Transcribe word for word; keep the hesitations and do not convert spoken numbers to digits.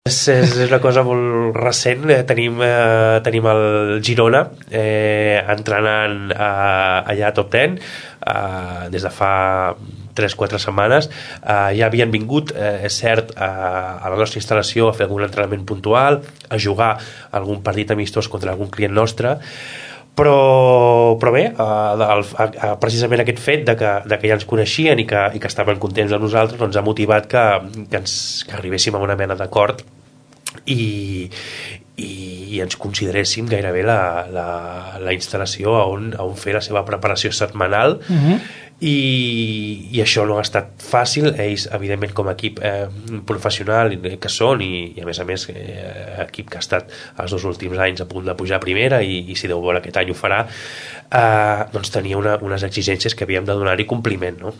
És, és una cosa molt recent. Eh, tenim, eh, tenim el Girona eh, entrenant eh, allà a Top deu eh, des de fa tres o quatre setmanes. Eh, ja havien vingut, eh, és cert, eh, a la nostra instal·lació a fer algun entrenament puntual, a jugar algun partit amistós contra algun client nostre, però, però bé, eh, el, eh, precisament aquest fet de que, de que ja ens coneixien i que, i que estaven contents de nosaltres, doncs ha motivat que, que, ens, que arribéssim a una mena d'acord i, i, i ens consideréssim gairebé la, la, la instal·lació on, on fer la seva preparació setmanal. Uh-huh. I, i això no ha estat fàcil. Ells, evidentment, com a equip eh, professional que són, i, i a més a més eh, equip que ha estat els dos últims anys a punt de pujar a primera, i, i si Déu vol aquest any ho farà, eh, doncs tenia una, unes exigències que havíem de donar-hi compliment, no?